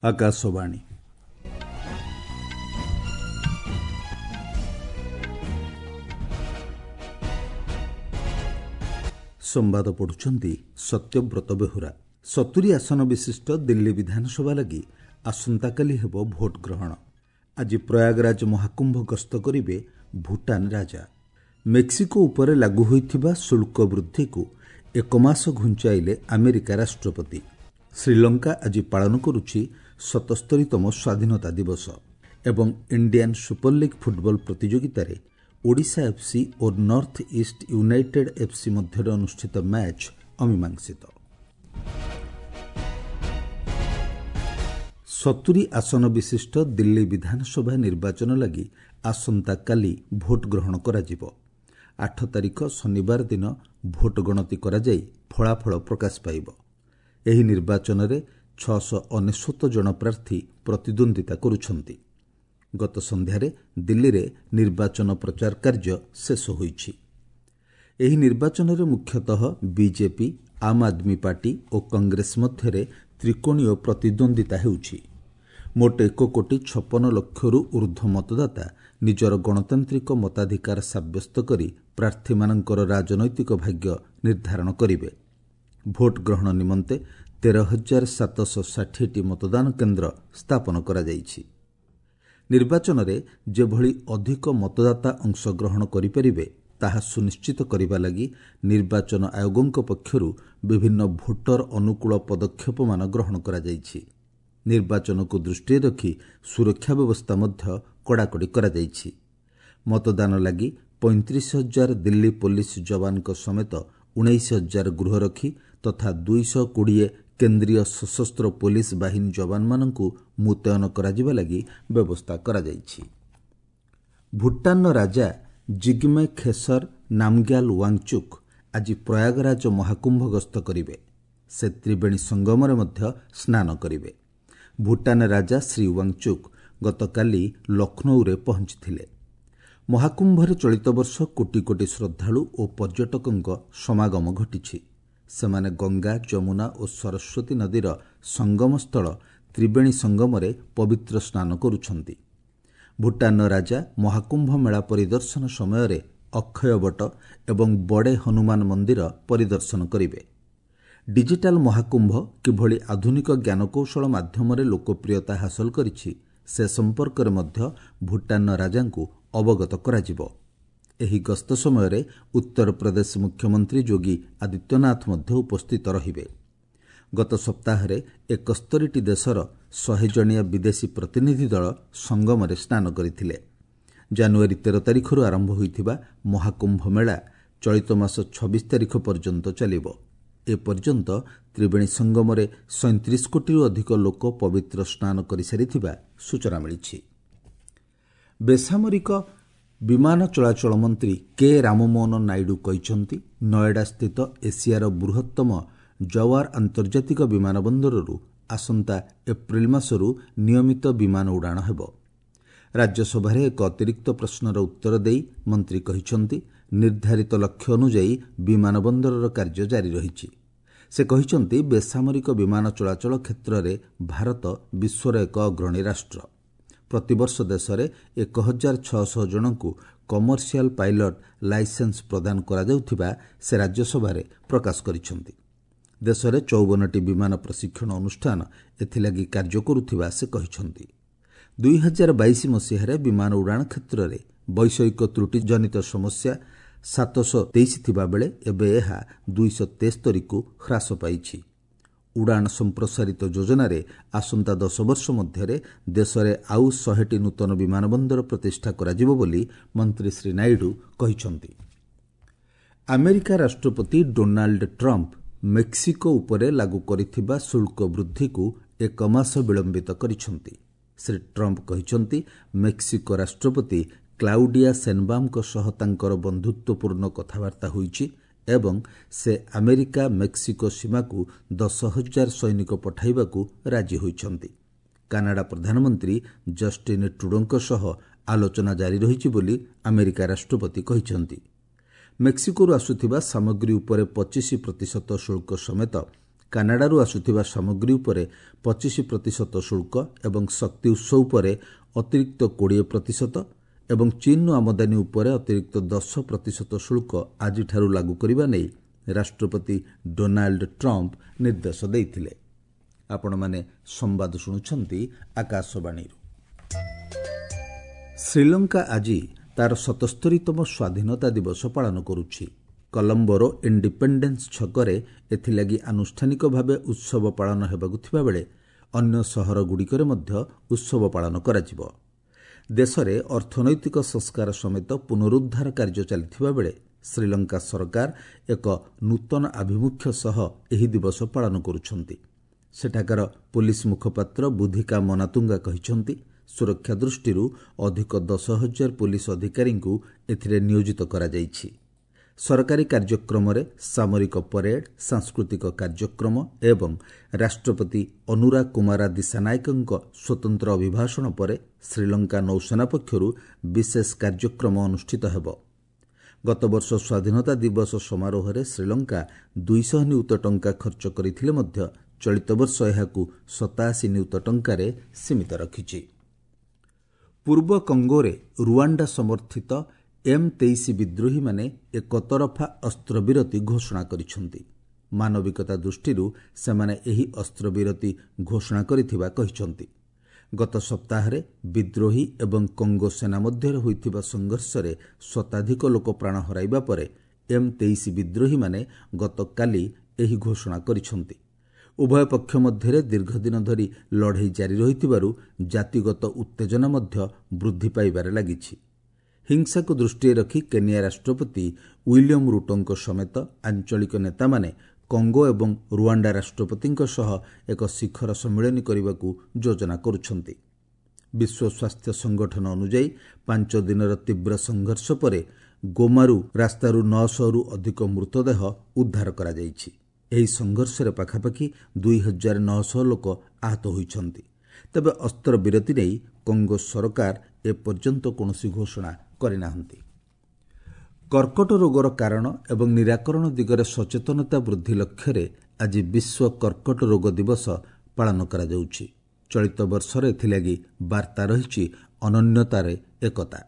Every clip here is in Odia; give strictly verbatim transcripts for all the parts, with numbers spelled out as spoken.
ଆକାଶବାଣୀ। ସମ୍ବାଦ ପଢୁଛନ୍ତି ସତ୍ୟବ୍ରତ ବେହୁରା। ସତୁରି ଆସନ ବିଶିଷ୍ଟ ଦିଲ୍ଲୀ ବିଧାନସଭା ଲାଗି ଆସନ୍ତାକାଲି ହେବ ଭୋଟ ଗ୍ରହଣ। ଆଜି ପ୍ରୟାଗରାଜ ମହାକୁମ୍ଭ ଗସ୍ତ କରିବେ ଭୁଟାନ ରାଜା। ମେକ୍ସିକୋ ଉପରେ ଲାଗୁ ହୋଇଥିବା ଶୁଳ୍କ ବୃଦ୍ଧିକୁ ଏକ ମାସ ଘୁଞ୍ଚାଇଲେ ଆମେରିକା ରାଷ୍ଟ୍ରପତି। ଶ୍ରୀଲଙ୍କା ଆଜି ପାଳନ କରୁଛି ସତସ୍ତରୀତମ ସ୍ୱାଧୀନତା ଦିବସ। ଏବଂ ଇଣ୍ଡିଆନ୍ ସୁପରଲିଗ୍ ଫୁଟବଲ ପ୍ରତିଯୋଗିତାରେ ଓଡ଼ିଶା ଏଫ୍ସି ଓ ନର୍ଥ ଇଷ୍ଟ ୟୁନାଇଟେଡ୍ ଏଫ୍ସି ମଧ୍ୟରେ ଅନୁଷ୍ଠିତ ମ୍ୟାଚ୍ ଅମୀମାଂସିତ। ସତୁରି ଆସନ ବିଶିଷ୍ଟ ଦିଲ୍ଲୀ ବିଧାନସଭା ନିର୍ବାଚନ ଲାଗି ଆସନ୍ତାକାଲି ଭୋଟ ଗ୍ରହଣ କରାଯିବ। ଆଠ ତାରିଖ ଶନିବାର ଦିନ ଭୋଟ ଗଣତି କରାଯାଇ ଫଳାଫଳ ପ୍ରକାଶ ପାଇବ। ଏହି ନିର୍ବାଚନରେ ଛଅଶହ ଅନେଶ୍ୱତ ଜଣ ପ୍ରାର୍ଥୀ ପ୍ରତିଦ୍ୱନ୍ଦ୍ୱିତା କରୁଛନ୍ତି। ଗତ ସନ୍ଧ୍ୟାରେ ଦିଲ୍ଲୀରେ ନିର୍ବାଚନ ପ୍ରଚାର କାର୍ଯ୍ୟ ଶେଷ ହୋଇଛି। ଏହି ନିର୍ବାଚନରେ ମୁଖ୍ୟତଃ ବିଜେପି, ଆମ୍ ଆଦମୀ ପାର୍ଟି ଓ କଂଗ୍ରେସ ମଧ୍ୟରେ ତ୍ରିକୋଣୀୟ ପ୍ରତିଦ୍ୱନ୍ଦ୍ୱିତା ହେଉଛି। ମୋଟ ଏକ କୋଟି ଛପନ ଲକ୍ଷରୁ ଊର୍ଦ୍ଧ୍ୱ ମତଦାତା ନିଜର ଗଣତାନ୍ତ୍ରିକ ମତାଧିକାର ସାବ୍ୟସ୍ତ କରି ପ୍ରାର୍ଥୀମାନଙ୍କର ରାଜନୈତିକ ଭାଗ୍ୟ ନିର୍ଦ୍ଧାରଣ କରିବେ। ଭୋଟ ଗ୍ରହଣ ନିମନ୍ତେ ତେର ହଜାର ସାତଶହ ଷାଠିଏଟି ମତଦାନ କେନ୍ଦ୍ର ସ୍ଥାପନ କରାଯାଇଛି। ନିର୍ବାଚନରେ ଯେଭଳି ଅଧିକ ମତଦାତା ଅଂଶଗ୍ରହଣ କରିପାରିବେ ତାହା ସୁନିଶ୍ଚିତ କରିବା ଲାଗି ନିର୍ବାଚନ ଆୟୋଗଙ୍କ ପକ୍ଷରୁ ବିଭିନ୍ନ ଭୋଟର ଅନୁକୂଳ ପଦକ୍ଷେପମାନ ଗ୍ରହଣ କରାଯାଇଛି। ନିର୍ବାଚନକୁ ଦୃଷ୍ଟିରେ ରଖି ସୁରକ୍ଷା ବ୍ୟବସ୍ଥା ମଧ୍ୟ କଡ଼ାକଡ଼ି କରାଯାଇଛି। ମତଦାନ ଲାଗି ପଇଁତିରିଶ ହଜାର ଦିଲ୍ଲୀ ପୋଲିସ ଯବାନଙ୍କ ସମେତ ଉଣେଇଶ ହଜାର ଗୃହରକ୍ଷୀ ତଥା ଦୁଇଶହ କୋଡ଼ିଏ କେନ୍ଦ୍ରୀୟ ସଶସ୍ତ୍ର ପୋଲିସ ବାହିନୀ ଯବାନମାନଙ୍କୁ ମୁତୟନ କରାଯିବା ଲାଗି ବ୍ୟବସ୍ଥା କରାଯାଇଛି। ଭୁଟାନର ରାଜା ଜିଗ୍ମେ ଖେସର ନାମଗ୍ୟାଲ ୱାଙ୍ଗଚୁକ୍ ଆଜି ପ୍ରୟାଗରାଜ ମହାକୁମ୍ଭ ଗସ୍ତ କରିବେ। ସେ ତ୍ରିବେଣୀ ସଙ୍ଗମରେ ମଧ୍ୟ ସ୍ନାନ କରିବେ। ଭୁଟାନ ରାଜା ଶ୍ରୀ ୱାଙ୍ଗଚୁକ୍ ଗତକାଲି ଲକ୍ଷ୍ନୌରେ ପହଞ୍ଚିଥିଲେ। ମହାକୁମ୍ଭରେ ଚଳିତ ବର୍ଷ କୋଟି କୋଟି ଶ୍ରଦ୍ଧାଳୁ ଓ ପର୍ଯ୍ୟଟକଙ୍କ ସମାଗମ ଘଟିଛି। ସେମାନେ ଗଙ୍ଗା, ଯମୁନା ଓ ସରସ୍ୱତୀ ନଦୀର ସଙ୍ଗମସ୍ଥଳ ତ୍ରିବେଣୀ ସଙ୍ଗମରେ ପବିତ୍ର ସ୍ନାନ କରୁଛନ୍ତି। ଭୁଟାନର ରାଜା ମହାକୁମ୍ଭ ମେଳା ପରିଦର୍ଶନ ସମୟରେ ଅକ୍ଷୟବଟ ଏବଂ ବଡ଼େ ହନୁମାନ ମନ୍ଦିର ପରିଦର୍ଶନ କରିବେ। ଡିଜିଟାଲ ମହାକୁମ୍ଭ କିଭଳି ଆଧୁନିକ ଜ୍ଞାନକୌଶଳ ମାଧ୍ୟମରେ ଲୋକପ୍ରିୟତା ହାସଲ କରିଛି ସେ ସମ୍ପର୍କରେ ମଧ୍ୟ ଭୁଟାନର ରାଜାଙ୍କୁ ଅବଗତ କରାଯିବ। ଏହି ଗସ୍ତ ସମୟରେ ଉତ୍ତରପ୍ରଦେଶ ମୁଖ୍ୟମନ୍ତ୍ରୀ ଯୋଗୀ ଆଦିତ୍ୟନାଥ ମଧ୍ୟ ଉପସ୍ଥିତ ରହିବେ। ଗତ ସପ୍ତାହରେ ଏକସ୍ତରୀଟି ଦେଶର ଶହେ ଜଣିଆ ବିଦେଶୀ ପ୍ରତିନିଧି ଦଳ ସଙ୍ଗମରେ ସ୍ନାନ କରିଥିଲେ। ଜାନୁଆରୀ ତେର ତାରିଖରୁ ଆରମ୍ଭ ହୋଇଥିବା ମହାକୁମ୍ଭ ମେଳା ଚଳିତ ମାସ ଛବିଶ ତାରିଖ ପର୍ଯ୍ୟନ୍ତ ଚାଲିବ। ଏପର୍ଯ୍ୟନ୍ତ ତ୍ରିବେଣୀ ସଙ୍ଗମରେ ସଇଁତିରିଶ କୋଟିରୁ ଅଧିକ ଲୋକ ପବିତ୍ର ସ୍ନାନ କରିସାରିଥିବା ସୂଚନା ମିଳିଛି। ବେସାମରିକ ବିମାନ ଚଳାଚଳ ମନ୍ତ୍ରୀ କେ ରାମମୋହନ ନାଇଡୁ କହିଛନ୍ତି, ନଏଡାସ୍ଥିତ ଏସିଆର ବୃହତ୍ତମ ଜୱାର ଆନ୍ତର୍ଜାତିକ ବିମାନ ବନ୍ଦରରୁ ଆସନ୍ତା ଏପ୍ରିଲ ମାସରୁ ନିୟମିତ ବିମାନ ଉଡ଼ାଣ ହେବ। ରାଜ୍ୟସଭାରେ ଏକ ଅତିରିକ୍ତ ପ୍ରଶ୍ନର ଉତ୍ତର ଦେଇ ମନ୍ତ୍ରୀ କହିଛନ୍ତି, ନିର୍ଦ୍ଧାରିତ ଲକ୍ଷ୍ୟ ଅନୁଯାୟୀ ବିମାନ ବନ୍ଦରର କାର୍ଯ୍ୟ ଜାରି ରହିଛି। ସେ କହିଛନ୍ତି, ବେସାମରିକ ବିମାନ ଚଳାଚଳ କ୍ଷେତ୍ରରେ ଭାରତ ବିଶ୍ୱର ଏକ ଅଗ୍ରଣୀ ରାଷ୍ଟ୍ର। ପ୍ରତିବର୍ଷ ଦେଶରେ ଏକ ହଜାର ଛଅଶହ ଜଣଙ୍କୁ କମର୍ସିଆଲ ପାଇଲଟ ଲାଇସେନ୍ସ ପ୍ରଦାନ କରାଯାଉଥିବା ସେ ରାଜ୍ୟସଭାରେ ପ୍ରକାଶ କରିଛନ୍ତି। ଦେଶରେ ଚଉବନଟି ବିମାନ ପ୍ରଶିକ୍ଷଣ ଅନୁଷ୍ଠାନ ଏଥିଲାଗି କାର୍ଯ୍ୟ କରୁଥିବା ସେ କହିଛନ୍ତି। ଦୁଇ ହଜାର ବାଇଶ ମସିହାରେ ବିମାନ ଉଡ଼ାଣ କ୍ଷେତ୍ରରେ ବୈଷୟିକ ତ୍ରୁଟି ଜନିତ ସମସ୍ୟା ସାତଶହ ତେଇଶ ଥିବାବେଳେ ଏବେ ଏହା ଦୁଇଶହ ତେସ୍ତରୀକୁ ହ୍ରାସ ପାଇଛି। ଉଡ଼ାଣ ସମ୍ପ୍ରସାରିତ ଯୋଜନାରେ ଆସନ୍ତା ଦଶ ବର୍ଷ ମଧ୍ୟରେ ଦେଶରେ ଆଉ ଶହେଟି ନୂତନ ବିମାନ ବନ୍ଦର ପ୍ରତିଷ୍ଠା କରାଯିବ ବୋଲି ମନ୍ତ୍ରୀ ଶ୍ରୀ ନାଇଡୁ କହିଛନ୍ତି। ଆମେରିକା ରାଷ୍ଟ୍ରପତି ଡୋନାଲ୍ଡ ଟ୍ରମ୍ପ ମେକ୍ସିକୋ ଉପରେ ଲାଗୁ କରିଥିବା ଶୁଳ୍କ ବୃଦ୍ଧିକୁ ଏକ ମାସ ବିଳମ୍ବିତ କରିଛନ୍ତି। ଶ୍ରୀ ଟ୍ରମ୍ପ କହିଛନ୍ତି, ମେକ୍ସିକୋ ରାଷ୍ଟ୍ରପତି କ୍ଲାଉଡିଆ ସେନବାମଙ୍କ ସହ ତାଙ୍କର ବନ୍ଧୁତ୍ୱପୂର୍ଣ୍ଣ କଥାବାର୍ତ୍ତା ହୋଇଛି ଏବଂ ସେ ଆମେରିକା ମେକ୍ସିକୋ ସୀମାକୁ ଦଶ ହଜାର ସୈନିକ ପଠାଇବାକୁ ରାଜି ହୋଇଛନ୍ତି। କାନାଡା ପ୍ରଧାନମନ୍ତ୍ରୀ ଜଷ୍ଟିନ୍ ଟ୍ରୁଡୋଙ୍କ ସହ ଆଲୋଚନା ଜାରି ରହିଛି ବୋଲି ଆମେରିକା ରାଷ୍ଟ୍ରପତି କହିଛନ୍ତି। ମେକ୍ସିକୋରୁ ଆସୁଥିବା ସାମଗ୍ରୀ ଉପରେ ପଚିଶ ପ୍ରତିଶତ ଶୁଳ୍କ ସମେତ କାନାଡାରୁ ଆସୁଥିବା ସାମଗ୍ରୀ ଉପରେ ପଚିଶ ପ୍ରତିଶତ ଶୁଳ୍କ ଏବଂ ଶକ୍ତି ଉତ୍ସ ଉପରେ ଅତିରିକ୍ତ କୋଡ଼ିଏ ପ୍ରତିଶତ ଏବଂ ଚୀନ୍ରୁ ଆମଦାନୀ ଉପରେ ଅତିରିକ୍ତ ଦଶ ପ୍ରତିଶତ ଶୁଳ୍କ ଆଜିଠାରୁ ଲାଗୁ କରିବା ନେଇ ରାଷ୍ଟ୍ରପତି ଡୋନାଲ୍ଡ ଟ୍ରମ୍ପ ନିର୍ଦ୍ଦେଶ ଦେଇଥିଲେ। ଆପଣମାନେ ସମ୍ବାଦ ଶୁଣୁଛନ୍ତି ଆକାଶବାଣୀରୁ। ଶ୍ରୀଲଙ୍କା ଆଜି ତାର ସତସ୍ତରୀତମ ସ୍ୱାଧୀନତା ଦିବସ ପାଳନ କରୁଛି। କଲମ୍ବୋର ଇଣ୍ଡିପେଣ୍ଡେନ୍ସ ଛକରେ ଏଥିଲାଗି ଆନୁଷ୍ଠାନିକ ଭାବେ ଉତ୍ସବ ପାଳନ ହେବାକୁ ଥିବାବେଳେ ଅନ୍ୟ ସହରଗୁଡ଼ିକରେ ମଧ୍ୟ ଉତ୍ସବ ପାଳନ କରାଯିବ। ଦେଶରେ ଅର୍ଥନୈତିକ ସଂସ୍କାର ସମେତ ପୁନରୁଦ୍ଧାର କାର୍ଯ୍ୟ ଚାଲିଥିବା ବେଳେ ଶ୍ରୀଲଙ୍କା ସରକାର ଏକ ନୂତନ ଆଭିମୁଖ୍ୟ ସହ ଏହି ଦିବସ ପାଳନ କରୁଛନ୍ତି। ସେଠାକାର ପୋଲିସ ମୁଖପାତ୍ର ବୁଦ୍ଧିକା ମନାତୁଙ୍ଗା କହିଛନ୍ତି, ସୁରକ୍ଷା ଦୃଷ୍ଟିରୁ ଅଧିକ ଦଶ ହଜାର ପୋଲିସ ଅଧିକାରୀଙ୍କୁ ଏଥିରେ ନିୟୋଜିତ କରାଯାଇଛି। ସରକାରୀ କାର୍ଯ୍ୟକ୍ରମରେ ସାମରିକ ପରେଡ୍, ସାଂସ୍କୃତିକ କାର୍ଯ୍ୟକ୍ରମ ଏବଂ ରାଷ୍ଟ୍ରପତି ଅନୁରା କୁମାରା ଦିଶାନାୟକଙ୍କ ସ୍ୱତନ୍ତ୍ର ଅଭିଭାଷଣ ପରେ ଶ୍ରୀଲଙ୍କା ନୌସେନା ପକ୍ଷରୁ ବିଶେଷ କାର୍ଯ୍ୟକ୍ରମ ଅନୁଷ୍ଠିତ ହେବ। ଗତବର୍ଷ ସ୍ୱାଧୀନତା ଦିବସ ସମାରୋହରେ ଶ୍ରୀଲଙ୍କା ଦୁଇଶହ ନିୟୁତ ଟଙ୍କା ଖର୍ଚ୍ଚ କରିଥିଲେ ମଧ୍ୟ ଚଳିତ ବର୍ଷ ଏହାକୁ ସତାଅଶୀ ନିୟୁତ ଟଙ୍କାରେ ସୀମିତ ରଖିଛି। ପୂର୍ବ କଙ୍ଗୋରେ ରୁଆଣ୍ଡା ସମର୍ଥିତ ଏମ୍ ତେଇଶ ବିଦ୍ରୋହୀମାନେ ଏକତରଫା ଅସ୍ତ୍ରବିରତି ଘୋଷଣା କରିଛନ୍ତି। ମାନବିକତା ଦୃଷ୍ଟିରୁ ସେମାନେ ଏହି ଅସ୍ତ୍ରବିରତି ଘୋଷଣା କରିଥିବା କହିଛନ୍ତି। ଗତ ସପ୍ତାହରେ ବିଦ୍ରୋହୀ ଏବଂ କଙ୍ଗୋ ସେନା ମଧ୍ୟରେ ହୋଇଥିବା ସଂଘର୍ଷରେ ଶତାଧିକ ଲୋକ ପ୍ରାଣ ହରାଇବା ପରେ ଏମ୍ ତେଇଶ ବିଦ୍ରୋହୀମାନେ ଗତକାଲି ଏହି ଘୋଷଣା କରିଛନ୍ତି। ଉଭୟ ପକ୍ଷ ମଧ୍ୟରେ ଦୀର୍ଘଦିନ ଧରି ଲଢ଼େଇ ଜାରି ରହିଥିବାରୁ ଜାତିଗତ ଉତ୍ତେଜନା ମଧ୍ୟ ବୃଦ୍ଧି ପାଇବାରେ ଲାଗିଛି। ହିଂସାକୁ ଦୃଷ୍ଟିରେ ରଖି କେନିଆ ରାଷ୍ଟ୍ରପତି ୱିଲିୟମ ରୁଟୋଙ୍କ ସମେତ ଆଞ୍ଚଳିକ ନେତାମାନେ କଙ୍ଗୋ ଏବଂ ରୁଆଣ୍ଡା ରାଷ୍ଟ୍ରପତିଙ୍କ ସହ ଏକ ଶିଖର ସମ୍ମିଳନୀ କରିବାକୁ ଯୋଜନା କରୁଛନ୍ତି। ବିଶ୍ୱ ସ୍ୱାସ୍ଥ୍ୟ ସଂଗଠନ ଅନୁଯାୟୀ ପାଞ୍ଚ ଦିନର ତୀବ୍ର ସଂଘର୍ଷ ପରେ ଗୋମାରୁ ରାସ୍ତାରୁ ନଅଶହରୁ ଅଧିକ ମୃତଦେହ ଉଦ୍ଧାର କରାଯାଇଛି। ଏହି ସଂଘର୍ଷରେ ପାଖାପାଖି ଦୁଇ ହଜାର ନଅଶହ ଲୋକ ଆହତ ହୋଇଛନ୍ତି। ତେବେ ଅସ୍ତ୍ରବିରତି ନେଇ କଙ୍ଗୋ ସରକାର ଏପର୍ଯ୍ୟନ୍ତ କୌଣସି ଘୋଷଣା କରିନାହାନ୍ତି। କର୍କଟ ରୋଗର କାରଣ ଏବଂ ନିରାକରଣ ଦିଗରେ ସଚେତନତା ବୃଦ୍ଧି ଲକ୍ଷ୍ୟରେ ଆଜି ବିଶ୍ୱ କର୍କଟ ରୋଗ ଦିବସ ପାଳନ କରାଯାଉଛି। ଚଳିତ ବର୍ଷର ଏଥିଲାଗି ବାର୍ତ୍ତା ରହିଛି ଅନନ୍ୟତାରେ ଏକତା।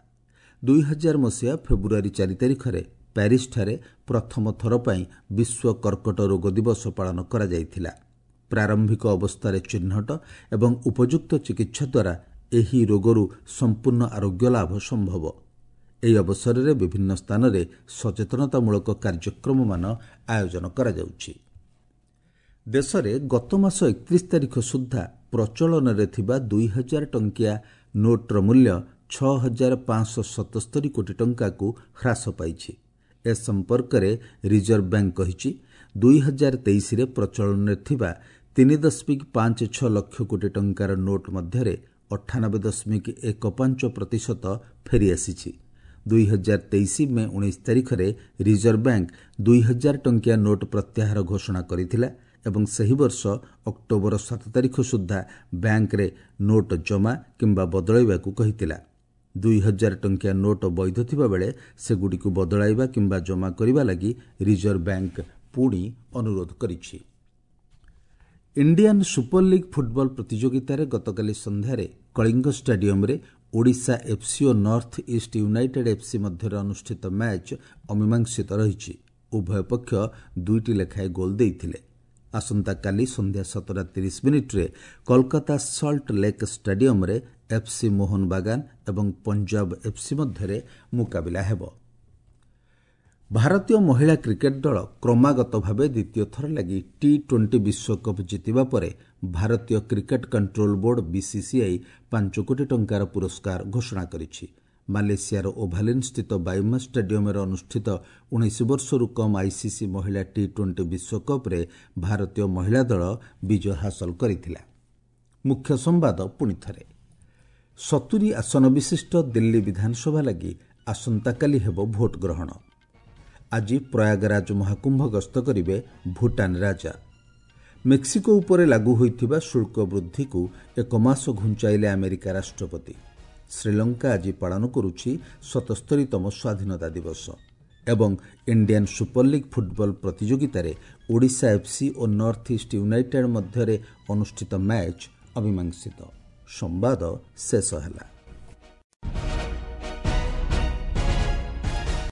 ଦୁଇ ହଜାର ମସିହା ଫେବୃଆରୀ ଚାରି ତାରିଖରେ ପ୍ୟାରିସଠାରେ ପ୍ରଥମ ଥର ପାଇଁ ବିଶ୍ୱ କର୍କଟ ରୋଗ ଦିବସ ପାଳନ କରାଯାଇଥିଲା। ପ୍ରାରମ୍ଭିକ ଅବସ୍ଥାରେ ଚିହ୍ନଟ ଏବଂ ଉପଯୁକ୍ତ ଚିକିତ୍ସା ଦ୍ୱାରା ଏହି ରୋଗରୁ ସମ୍ପୂର୍ଣ୍ଣ ଆରୋଗ୍ୟ ଲାଭ ସମ୍ଭବ। ଏହି ଅବସରରେ ବିଭିନ୍ନ ସ୍ଥାନରେ ସଚେତନତାମୂଳକ କାର୍ଯ୍ୟକ୍ରମମାନ ଆୟୋଜନ କରାଯାଉଛି। ଦେଶରେ ଗତ ମାସ ଏକତିରିଶ ତାରିଖ ସୁଦ୍ଧା ପ୍ରଚଳନରେ ଥିବା ଦୁଇ ହଜାର ଟଙ୍କିଆ ନୋଟ୍ର ମୂଲ୍ୟ ଛଅ ହଜାର ପାଞ୍ଚଶହ ସତସ୍ତରୀ କୋଟି ଟଙ୍କାକୁ ହ୍ରାସ ପାଇଛି। ଏ ସମ୍ପର୍କରେ ରିଜର୍ଭ ବ୍ୟାଙ୍କ କହିଛି, ଦୁଇ ହଜାର ତେଇଶରେ ପ୍ରଚଳନରେ ଥିବା ତିନି ଦଶମିକ ପାଞ୍ଚ ଛଅ ଲକ୍ଷ କୋଟି ଟଙ୍କାର ନୋଟ୍ ମଧ୍ୟରେ ଅଠାନବେ ଦଶମିକ ଏକ ପାଞ୍ଚ ପ୍ରତିଶତ ଫେରିଆସିଛି। ଦୁଇ ହଜାର ତେଇଶ ମେ ଉଣେଇଶ ତାରିଖରେ ରିଜର୍ଭ ବ୍ୟାଙ୍କ ଦୁଇ ହଜାର ଟଙ୍କିଆ ନୋଟ୍ ପ୍ରତ୍ୟାହାର ଘୋଷଣା କରିଥିଲା ଏବଂ ସେହି ବର୍ଷ ଅକ୍ଟୋବର ସାତ ତାରିଖ ସୁଦ୍ଧା ବ୍ୟାଙ୍କରେ ନୋଟ୍ ଜମା କିମ୍ବା ବଦଳାଇବାକୁ କହିଥିଲା। ଦୁଇ ହଜାର ଟଙ୍କିଆ ନୋଟ୍ ବୈଧ ଥିବାବେଳେ ସେଗୁଡ଼ିକୁ ବଦଳାଇବା କିମ୍ବା ଜମା କରିବା ଲାଗି ରିଜର୍ଭ ବ୍ୟାଙ୍କ ପୁଣି ଅନୁରୋଧ କରିଛି। ଇଣ୍ଡିଆନ୍ ସୁପର ଲିଗ୍ ଫୁଟବଲ ପ୍ରତିଯୋଗିତାରେ ଗତକାଲି ସନ୍ଧ୍ୟାରେ କଳିଙ୍ଗ ଷ୍ଟାଡିୟମରେ ଓଡ଼ିଶା ଏଫ୍ସି ଓ ନର୍ଥ ଇଷ୍ଟ ୟୁନାଇଟେଡ୍ ଏଫ୍ସି ମଧ୍ୟରେ ଅନୁଷ୍ଠିତ ମ୍ୟାଚ୍ ଅମୀମାଂସିତ ରହିଛି। ଉଭୟ ପକ୍ଷ ଦୁଇଟି ଲେଖାଏଁ ଗୋଲ୍ ଦେଇଥିଲେ। ଆସନ୍ତାକାଲି ସନ୍ଧ୍ୟା ସାତଟା ତିରିଶ ମିନିଟ୍ରେ କୋଲକାତା ସଲ୍ଟ ଲେକ୍ ଷ୍ଟାଡିୟମରେ ଏଫ୍ସି ମୋହନବାଗାନ ଏବଂ ପଞ୍ଜାବ ଏଫ୍ସି ମଧ୍ୟରେ ମୁକାବିଲା ହେବ। ଭାରତୀୟ ମହିଳା କ୍ରିକେଟ୍ ଦଳ କ୍ରମାଗତ ଭାବେ ଦ୍ୱିତୀୟ ଥର ଲାଗି ଟି ଟ୍ୱେଣ୍ଟି ବିଶ୍ୱକପ୍ ଜିତିବା ପରେ ଭାରତୀୟ କ୍ରିକେଟ୍ କଣ୍ଟ୍ରୋଲ ବୋର୍ଡ ବିସିସିଆଇ ପାଞ୍ଚ କୋଟି ଟଙ୍କାର ପୁରସ୍କାର ଘୋଷଣା କରିଛି। ମାଲେସିଆର ଓଭାଲିନ୍ ସ୍ଥିତ ବାୟୁମା ଷ୍ଟାଡିୟମରେ ଅନୁଷ୍ଠିତ ଉଣେଇଶ ବର୍ଷରୁ କମ୍ ଆଇସିସି ମହିଳା ଟି ଟ୍ୱେଣ୍ଟି ବିଶ୍ୱକପ୍ରେ ଭାରତୀୟ ମହିଳା ଦଳ ବିଜୟ ହାସଲ କରିଥିଲା। ମୁଖ୍ୟ ସମ୍ବାଦ ପୁଣିଥରେ, ସତୁରି ଆସନ ବିଶିଷ୍ଟ ଦିଲ୍ଲୀ ବିଧାନସଭା ଲାଗି ଆସନ୍ତାକାଲି ହେବ ଭୋଟ ଗ୍ରହଣ। ଆଜି ପ୍ରୟାଗରାଜ ମହାକୁମ୍ଭ ଗସ୍ତ କରିବେ ଭୁଟାନ ରାଜା। ମେକ୍ସିକୋ ଉପରେ ଲାଗୁ ହୋଇଥିବା ଶୁଳ୍କ ବୃଦ୍ଧିକୁ ଏକ ମାସ ଘୁଞ୍ଚାଇଲେ ଆମେରିକା ରାଷ୍ଟ୍ରପତି। ଶ୍ରୀଲଙ୍କା ଆଜି ପାଳନ କରୁଛି ସତସ୍ତରୀତମ ସ୍ୱାଧୀନତା ଦିବସ ଏବଂ ଇଣ୍ଡିଆନ୍ ସୁପରଲିଗ୍ ଫୁଟବଲ ପ୍ରତିଯୋଗିତାରେ ଓଡ଼ିଶା ଏଫ୍ସି ଓ ନର୍ଥ ଇଷ୍ଟ ୟୁନାଇଟେଡ୍ ମଧ୍ୟରେ ଅନୁଷ୍ଠିତ ମ୍ୟାଚ୍ ଅମୀମାଂସିତ। ସମ୍ବାଦ ଶେଷ ହେଲା।